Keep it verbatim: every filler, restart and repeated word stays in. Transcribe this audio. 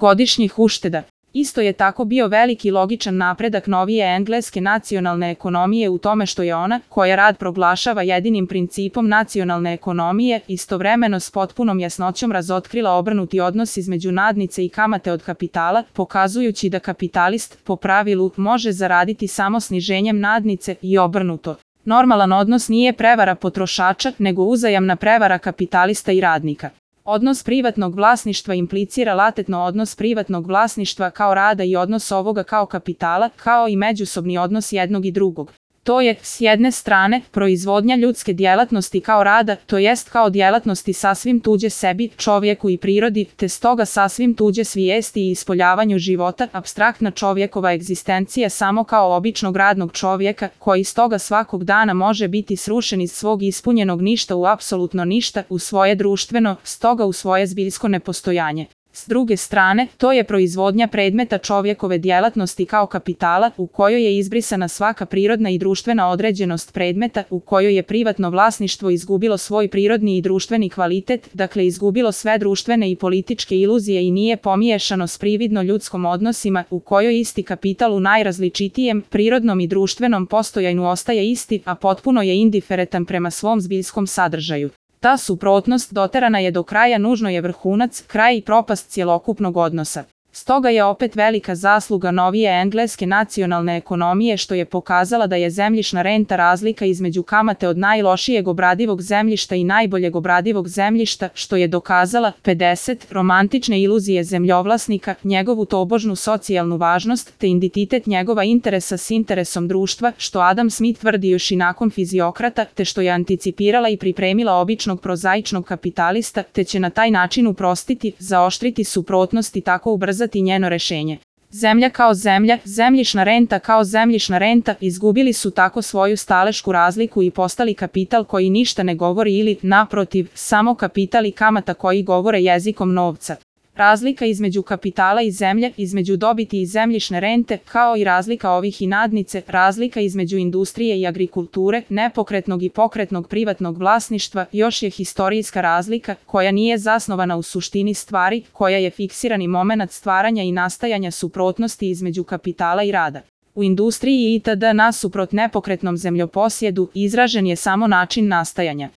godišnjih ušteda. Isto je tako bio veliki logičan napredak novije engleske nacionalne ekonomije u tome što je ona, koja rad proglašava jedinim principom nacionalne ekonomije, istovremeno s potpunom jasnoćom razotkrila obrnuti odnos između nadnice i kamate od kapitala, pokazujući da kapitalist, po pravilu, može zaraditi samo sniženjem nadnice i obrnuto. Normalan odnos nije prevara potrošača, nego uzajamna prevara kapitalista i radnika. Odnos privatnog vlasništva implicira latentno odnos privatnog vlasništva kao rada i odnos ovoga kao kapitala, kao i međusobni odnos jednog i drugog. To je, s jedne strane, proizvodnja ljudske djelatnosti kao rada, to jest kao djelatnosti sasvim tuđe sebi, čovjeku i prirodi, te stoga sasvim tuđe svijesti i ispoljavanju života, apstraktna čovjekova egzistencija samo kao običnog radnog čovjeka, koji stoga svakog dana može biti srušen iz svog ispunjenog ništa u apsolutno ništa, u svoje društveno, stoga u svoje zbiljsko nepostojanje. S druge strane, to je proizvodnja predmeta čovjekove djelatnosti kao kapitala, u kojoj je izbrisana svaka prirodna i društvena određenost predmeta, u kojoj je privatno vlasništvo izgubilo svoj prirodni i društveni kvalitet, dakle izgubilo sve društvene i političke iluzije i nije pomiješano s prividno ljudskom odnosima, u kojoj isti kapital u najrazličitijem, prirodnom i društvenom postojanju ostaje isti, a potpuno je indiferentan prema svom zbiljskom sadržaju. Ta suprotnost doterana je do kraja, nužno je vrhunac, kraj i propast cjelokupnog odnosa. Stoga je opet velika zasluga novije engleske nacionalne ekonomije što je pokazala da je zemljišna renta razlika između kamate od najlošijeg obradivog zemljišta i najboljeg obradivog zemljišta, što je dokazala pedeset romantične iluzije zemljovlasnika, njegovu tobožnu socijalnu važnost, te identitet njegova interesa s interesom društva, što Adam Smith tvrdi još i nakon fiziokrata, te što je anticipirala i pripremila običnog prozaičnog kapitalista, te će na taj način uprostiti, zaoštriti suprotnost i tako ubrzati njeno rešenje. Zemlja kao zemlja, zemljišna renta kao zemljišna renta, izgubili su tako svoju stalešku razliku i postali kapital koji ništa ne govori ili, naprotiv, samo kapital i kamata koji govore jezikom novca. Razlika između kapitala i zemlje, između dobiti i zemljišne rente, kao i razlika ovih i nadnice, razlika između industrije i agrikulture, nepokretnog i pokretnog privatnog vlasništva, još je historijska razlika, koja nije zasnovana u suštini stvari, koja je fiksirani momenat stvaranja i nastajanja suprotnosti između kapitala i rada. U industriji itd. nasuprot nepokretnom zemljoposjedu izražen je samo način nastajanja.